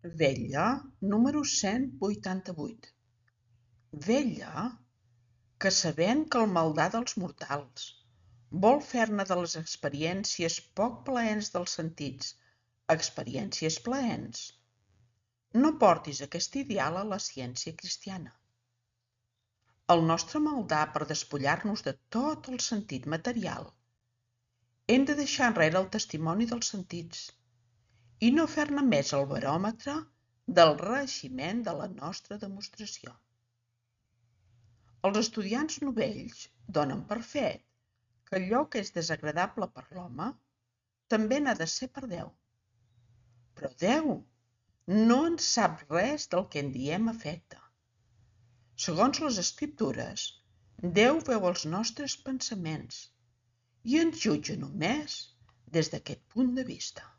Vetlla número 188. Vetlla, que sabent que el maldà dels mortals vol fer-ne de les experiències poc plaents dels sentits experiències plaents, no portis aquest ideal a la ciència cristiana. El nostre maldà per despullar-nos de tot el sentit material, hem de deixar enrere el testimoni dels sentits i no fer-ne més el baròmetre del reeiximent de la nostra demostració. Els estudiants novells donen per fet que allò que és desagradable per l'home també n'ha de ser per Déu. Però Déu no en sap res del que en diem afecte. Segons les Escriptures, Déu veu els nostres pensaments i ens jutja només des d'aquest punt de vista.